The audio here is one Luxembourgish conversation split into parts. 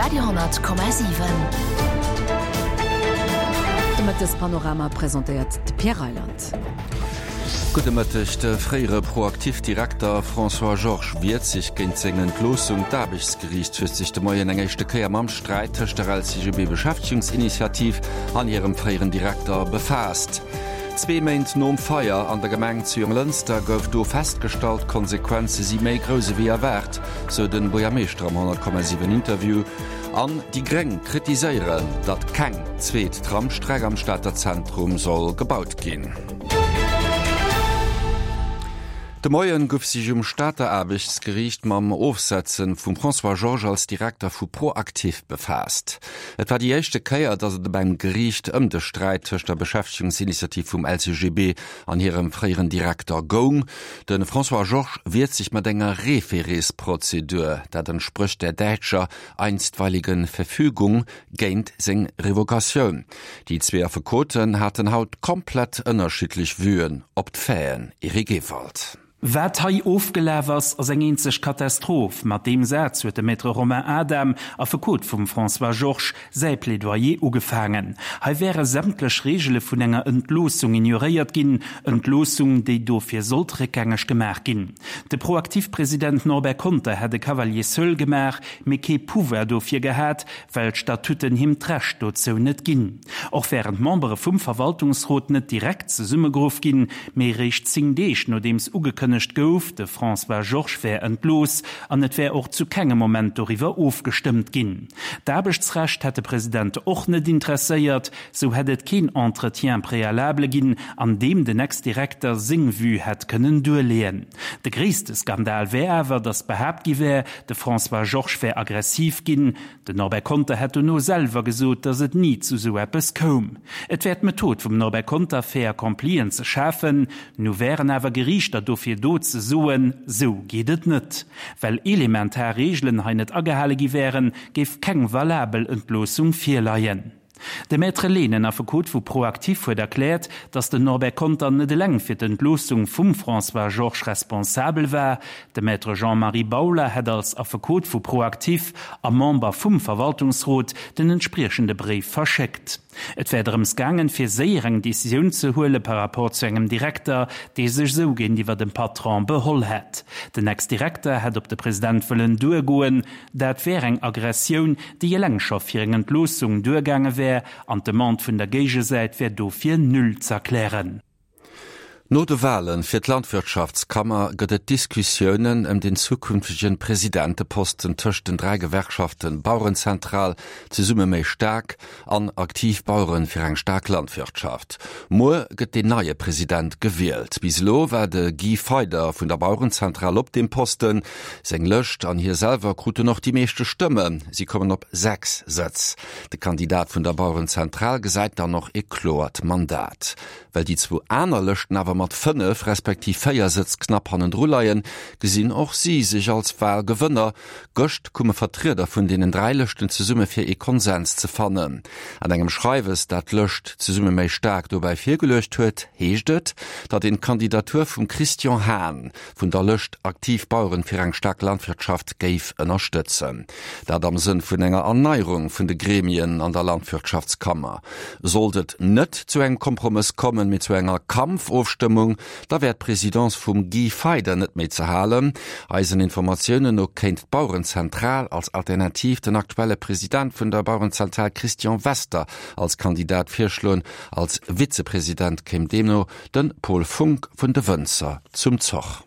Radio 10,7. De Mëttespanorama presentéiert de Pierre Reyland. Gudde Mëtteg. De fréiere Proactif-Direkter François Georges wiert sech géint seng Entloossung. D'Aarbechtsgeriicht huet sech de Moien eng éischte Kéier mam Sträit tëscht der LCGB-Beschäftegungsinitiativ an hirem fréieren Direkter befaasst. Zwee Méint nom Feier an der Gemeng zu Jonglënster gouf do festgestallt, d'Konsequenze si méi grouss ewéi erwaart, sou de Buergermeeschter am 100,7 Interview. An déi Gréng kritiséieren, datt keng zweet Tramstreck am Stater Zentrum soll gebaut ginn. De Moien gouf sech um Stater Aarbechtsgeriicht mam Ofsetze vum François Georges als Direkter vu ProActif befaasst. Et war déi éischte Kéier, datt et op engem Geriicht ëm de Sträit tëscht der Beschäftegungsinitiativ vum LCGB an hirem fréieren Direkter goung. De François Georges wiert sech mat enger Référésprozedur, dat entsprécht der däitscher einstweiligen Verfügung, géint seng Revocatioun. Déi zwee Affekoten haten haut komplett ënnerschiddlech Vuen op d'Faiten, Eric Ewald. Wat hei ofgelaf ass, ass eng eenzeg Katastroph. Mat deem Saz huet de Maître Romain Adam, Affekot vum François Georges, säi Plädoyer ugefaangen. Hei wäre sämtlech Reegele vun enger Entloossung ignoréiert ginn, Entloossung, déi dofir sollt réckgängeg gemaach ginn. De Proactif-President Norbert Conter hätt e Cavalier seul gemaach, mee kee Pouvoir dofir gehat, well d'Statuten him d'Recht dozou net ginn. Och wären d'Membere vum Verwaltungsrot net direkt zesummegeruff ginn, mee eréischt 10 Deeg nodeems ugekënnegt gouf, de François Georges wär entlooss an et wär och zu kengem Moment doriwwer ofgestëmmt ginn. D'Aarbechtsrecht hätt de President och net interesséiert, sou hätt et keen Entretien préalable ginn, an deem den Ex-Direkter seng Vue hätt kënnen duerleeën. De gréisste Skandal wär awer, datt behaapt gi wär, De François Georges wär aggressiv ginn. Den Norbert Conter hätt dono selwer gesot, datt et ni zu sou eppes koum. Et wär d'Method vum Norbert Conter, Fait accomplien ze schafen. Nu wären awer Geriichter dofir do ze soen, sou geet et net. Well elementar Reegelen hei net agehale gi wären, géif keng valabel Entloossung virleien. De Maître Lehnen, Affekot vu ProActif, huet erkläert, datt den Norbert Conter net eleng fir d'Entloossung vum François Georges responsabel war. De Maître Jean-Marie Bauler hätt als Affekot vu ProActif a Member vum Verwaltungsrot den entspriechende Bréif verschéckt. Et wär drëms gaangen, fir séier eng Decisioun ze huele par rapport zu engem Direkter, dee sech esou géintiwwer dem Patron beholl hätt. Den Ex-Direkter hätt op de President wëllen duergoen. Dat wär eng Aggressioun, déi eleng scho fir eng Entloossung duergaange wär, an d'Demande vun der Géigesäit wär dofir null z'erklären. No de Wale fir d'Landwirtschaftskammer gëtt et Diskussiounen ëm den zukünftegen Presidenteposten tëscht den 3 Gewerkschaften Bauerenzentral, Zesumme méi staark an Aktiv Baueren fir eng staark Landwirtschaft. Muer gëtt deen neie President gewielt. Bis elo war de Guy Feyder vun der Bauerenzentral op deem Posten. Seng Lëscht an hie selwer kruten och déi meeschte Stëmmen, si kommen op 6 Sëtz. De Kandidat vun der Bauerenzentral gesäit dann och ee kloert Mandat. Well déi zwou aner Lëschten awer mat 5 respektiv 4 Sëtz knapp hannendru leien, gesinn och si sech als Walgewënner. Gëscht kume Vertrieder vun deenen 3 Lëschten zesumme fir ee Konsens ze fannen. An engem Schreiwes, dat d'Lëscht Zesumme méi staark dobäi virgeluecht huet, heescht et, datt een d'Kandidatur vum Christian Hahn vun der Lëscht Aktiv Baueren fir eng staark Landwirtschaft géif ënnerstëtzen. Dat am Sënn vun enger Erneierung vun de Gremien an der Landwirtschaftskammer. Sollt et net zu engem Kompromëss kommen, mee zu enger Kampfofstëmmung, da wär d'Presidence vum Guy Feyder net méi ze halen. Eisen Informatiounen no kéint d'Bauerenzentral als Alternativ den aktuelle President vun der Bauerenzentral Christian Wester als Kandidat virschloen. Als Vizepresident kéim deemno De Paul Funck vun de Wënzer zum Zoch.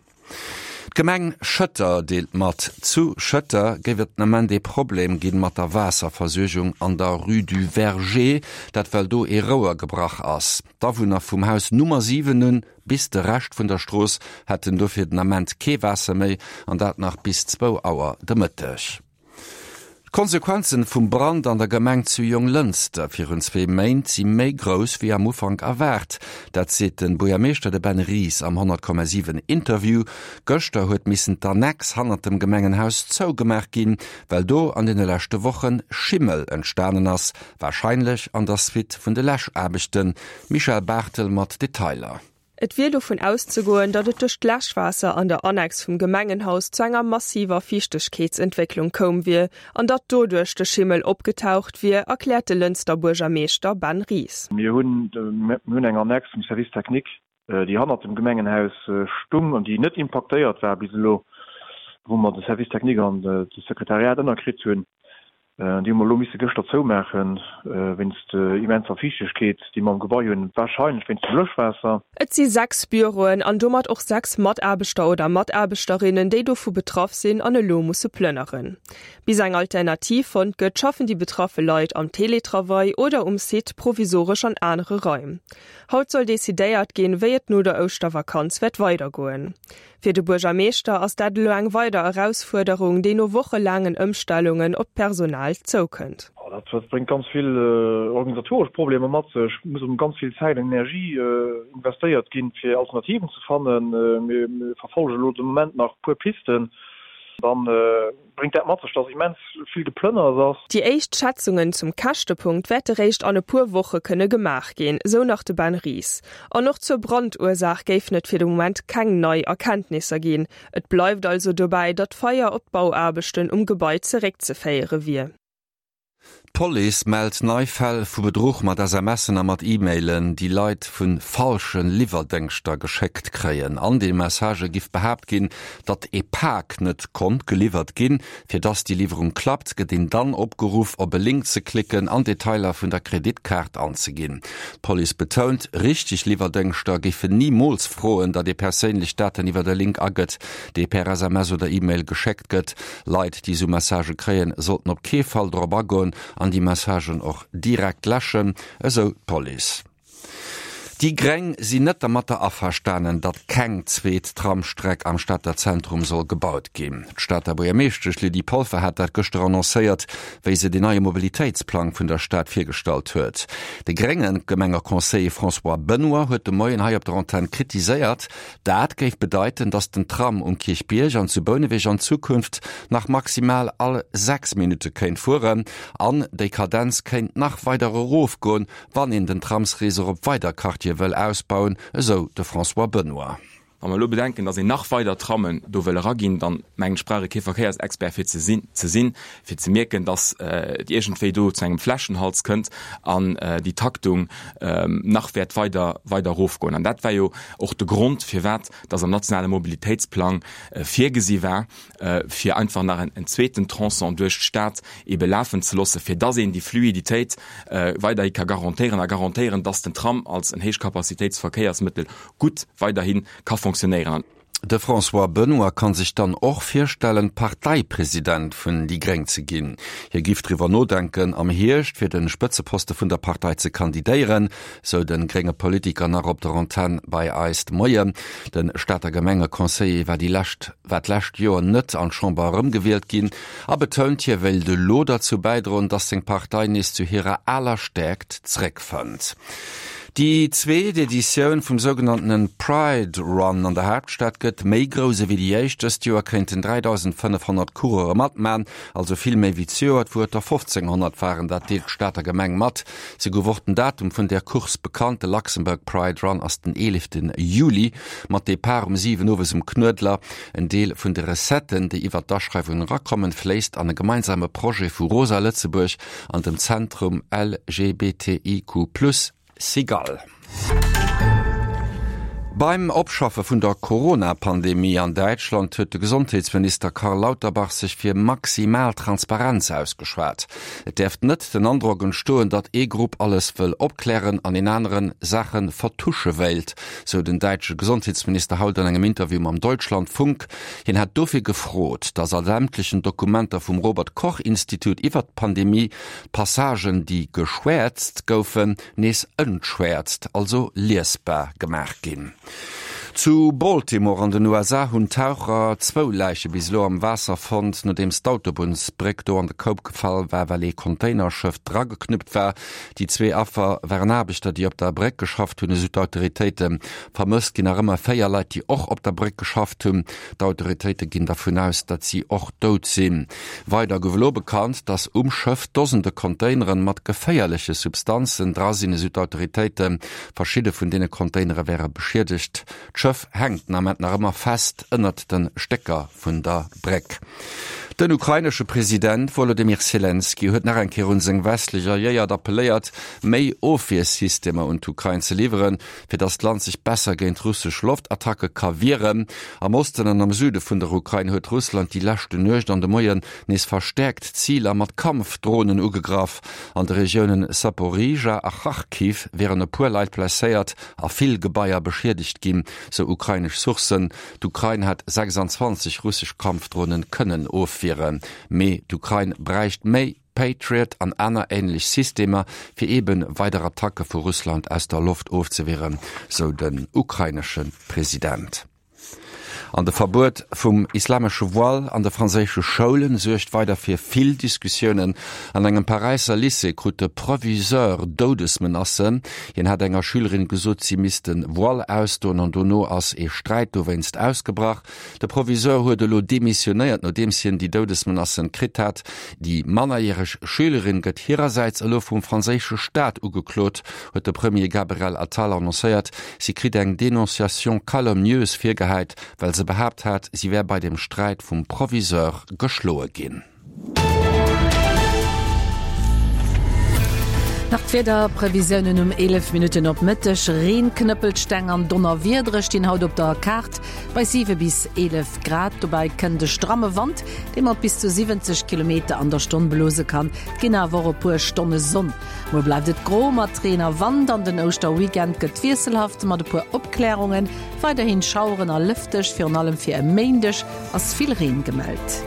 D'Gemeng Schëtter deelt mat, zu Schëtter géif et den Ament ee Problem ginn mat der Waasserversuergung an der Rue du Verger, dat well do ee Rouer gebrach ass. D'Awunner vum Haus Nummer 7 un bis de Rescht vun der Strooss hätten dofir den Ament kee Waasser méi, an dat nach bis zwou Auer de Mëtteg. D'Konsequenzen vum Brand an der Gemeng zu Jonglënster virun zwee Méint si méi grouss wéi am Ufank erwaart. Dat seet den Buergermeeschter, de Ben Ries am 100,7 Interview. Gëschter huet missen d'Annex hannert dem Gemengenhaus zougemaach ginn, well do an deene leschte Wochen Schimmel entstanen ass, warscheinlech an der Suite vun de Läschaarbechten. Michèle Barthel mat Detailer. Et wier dovun auszegoen, datt et duerch d'Läschwaasser an der Annex vum Gemengenhaus zu enger massiver Fiichtegkeetsentwécklung koum wier an datt doduerch de Schimmel opgetaucht wier, erkläert de Lënster Buergermeeschter Ben Ries. Mir hunn eng Annex vum Service technique, déi hannert dem Gemengenhaus stung an déi net impaktéiert war bis elo, wou mer de Service technique an de Sekretariat ënnerkritt hunn. Déi hu mer elo misse gëschter zoumaachen, wéinst immenser Fiichtegkeet, déi mer am Gebai hunn, warscheinlech wéinst dem Löschwaasser. Et si 6 Büroen an domat och 6 Mataarbechter oder Mataarbechterinnen, déi dovu betraff sinn an elo musse plënneren. Bis eng Alternativ fonnt gëtt, schaffen déi betraffe Leit am Teletravail oder um Site provisoresch an anere Raim. Haut soll decidéiert ginn, wéi et no der Ouschtervakanz wäert weidergoen. Fir de Buergermeeschter ass dat elo eng weider Erausfuerderung, déi no wochelaangen Ëmstellungen op d'Personal zoukënnt. Dat bréngt ganz vill organisatoresch Problemer mat sech. Et muss ganz vill Zäit an Energie investéiert ginn, fir Alternativen ze fannen. Mir verfollege elo de Moment nach e puer Pisten. Dann bréngt dat mat sech, dass immens vill Geplënners ass. Déi éischt Schätzungen zum Käschtepunkt wäerte réischt an e puer Woche kënne gemaach ginn, sou nach de Ben Ries. An och zur Brandursaach géifen et fir de Moment keng nei Erkenntnisser ginn. Et bleift also dobäi, datt d'Feier op d'Bauaarbechten um Gebai zeréckzeféiere wier. D'Police mellt nei Fäll vu Bedruch mat SMSen a mat E-Mailen, déi Leit vu falsche Liwwerdéngschter geschéckt kréien. An de Messagë giff behaapt ginn, datt ee Pak net konnt geliwwert ginn. Fir datt déi Liwwerung klappt, gëtt een dann opgeruff, op e Link ze klicken an Detailer vun der Kreditkaart anzeginn. D'Police betount, richteg Liwwerdéngschter géifen nimools froen, datt ee perséinlech Daten iwwert e Link agëtt, dee per SMS oder E-Mail geschéckt gëtt. Leit, déi esou Messagë kréien, sollten op kee Fall dorop agoen an déi Messagen och direkt läschen, esou d'Police. Déi Gréng sinn net dermatter averstanen, datt keng zweet Tramstreck am Stater Zentrum soll gebaut ginn. D'Stater Buergermeeschtesch Lydie Polfer hat dat gëschter annoncéiert, wéi se den neie Mobilitéitsplang vun der Stad virgestallt huet. De grénge Gemengeconseiller François Benoy huet de Moien hei op der Antenn kritiséiert, Dat géif bedeiten, datt den Tram um Kierchbierg an zu Bouneweg an Zukunft nach maximal all 6 Minutte kéint fueren. An déi Kadenz kéint nach weider erofgoen, wann een den Tramsreseau op weider Quartiere wëll ausbauen, esou de François Benoy. Wa mer elo bedenken, datt een nach weider Trammen do wëll eraginn, dann mengen ech, brauch ee kee Verkéiersexpert fir ze sinn, ze sinn, fir ze mierken, datt et iergendwéi do zu engem Fläschenhals kënnt an déi Taktung nach wäert weider, weider erofgoen. An dat war jo och de Grond, firwat dass am nationale Mobilitéitsplang virgesi war, fir einfach nach en zweeten Tronçon duerch d'Stad ebe lafen ze loossen, fir dass een déi Fluiditéit weiderhi ka garantéieren a garantéieren, dass den Tram als en Héichcapacitéitsverkéiersmëttel gutt weiderhi ka fonctionnéieren. De François Benoy kann sech dann och virstellen, Parteipresident vun déi Gréng ze ginn. Hie giff driwwer nodenken, am Hierscht fir de Spëtzeposte vun der Partei ze kandidéieren, sou de grénge Politiker nach op der Antenn bei eis de Moien. De Stater Gemengeconseiller war déi lescht war d'lescht Joer net an d'Chamber erëmgewielt ginn a betount, hie wéilt elo derzou bäidroen, datt seng Partei nees zu hirer aler Stäerkt zeréckfënnt. Déi zweet Editioun vum sougenanntenen Pride Run an der Haaptstad gëtt méi grouss ewéi déi éischt. Dëst Joer kéinten 3.500 Coureure matman, also vill méi wéi zejoert, wou et der 1.500 waren. Dat deelt d'Stater Gemeng mat. Se gouf och den Datum vun där Course bekannt. De Luxembourg Pride Run ass den 11 Juli mat Depart um 7 owes um Knuedler. En Deel vun de Recetten, déi iwwert d'Aschreiwungen erakommen, fléisst an e gemeinsame Projet vu Rosa Lëtzebuerg an dem Zentrum LGBTIQ+, Cigale. Beim Opschaffe vun der Corona-Pandemie an Däitschland huet de Gesondheetsminister Karl Lauterbach sech fir maximal Transparenz ausgeschwat. Et däerft net den Androck entstoen, datt ee Grupp alles wëll opklären an een aneren Saache vertusche wéilt, sou den däitsche Gesondheetsminister haut an engem Interview mam Deutschlandfunk. Hien hätt dofir gefrot, datt a sämtlechen Dokumenter vum Robert Koch Institut iwwert d'Pandemie d'Passagen, déi geschwäerzt goufen, nees entschwäerzt, also liesbar gemaach ginn. Zu Baltimore an den USA hunn Taucher zwou Läiche bis elo am Waasser fonnt, nodeems d'Autobunnsbréck do an de Koup gefall war, well ee Containerschëff drageknuppt war. Déi zwee Affer waren Aarbechter, déi op der Bréck geschafft hunn, esou d'Autoritéiten. Vermësst ginn nach ëmmer 4 Leit, déi och op der Bréck geschafft hunn. D'Autoritéite ginn dervun aus, datt si och dout sinn. Weider gouf elo bekannt, datt um Schëff Dosende Containeren mat geféierleche Substanzen dra sinn, esou d'Autoritéiten. Verschidde vun deene Containere wäre beschiedegt. D'Schëff hänkt den Ament nach ëmmer fest ënnert de Stécker vun der Bréck. Den ukrainesche President Wolodymyr Selenskyj huet nach eng Kéier un seng westlech Alliéiert appelléiert, méi Ofwiersystemer un d'Ukrain ze liwweren, fir datt d'Land sech besser géint russesch Loftattacke ka wieren. Am Osten an am Süde vun der Ukrain huet Russland déi leschte Nuecht an de Moien nees verstäerkt Ziler mat Kampfdronen ugegraff. An de Regiounen Saporizhzhia a Charkiw wieren e puer Leit blesséiert a vill Gebaier beschiedegt ginn, sou ukrainesch Sourcen. D'Ukrain hat 26 russesch Kampfdronen kënnen ofwieren, mee d'Ukrain bräicht méi Patriot an aner änlech Systemer, fir eebe weider Attacke vu Russland aus der Loft ofzewieren, sou den ukrainesche President. An de Verbuet vum islamesche Voile an de franséische Schoulen suergt weider fir vill Diskussiounen. An engem Paräisser Lycée krut de Proviseur Doudesmenacen. Hien hat enger Schülerin gesot, si misst de Voile ausdoen an dono ass ee Sträit dowéinst ausgebrach. De Proviseur huet elo demissionéiert, nodeems hien déi Doudesmenacen kritt hat. Déi mannerjäreg Schülerin gëtt hirersäits elo vum franséische Staat ugeklot, huet de Premier Gabriel Attal annoncéiert. Si kritt eng Dénonciation calomnieuse virgehäit, well se behaapt hat, si wär bei dem Sträit vum Proviseur geschloe ginn. Nach d'Wiederprevisiounen um 11 Minutten op Mëtteg, Reen, Knëppelsteng an Donnerwiedere stinn haut op der Kaart bei 7 bis 11 Grad. Dobäi kënnt e stramme Wand, dee mat bis zu 70 Kilometer an der Stonn blose kann. Et ginn awer och e puer Stonne Sonn. Muer bleift et gro mat Reen a Wand an den Ouschterweekend gëtt wiesselhaft mat e puer Opklärungen. Weiderhin Schaueren a lëfteg, virun allem fir e Méindeg ass vill Reen gemellt.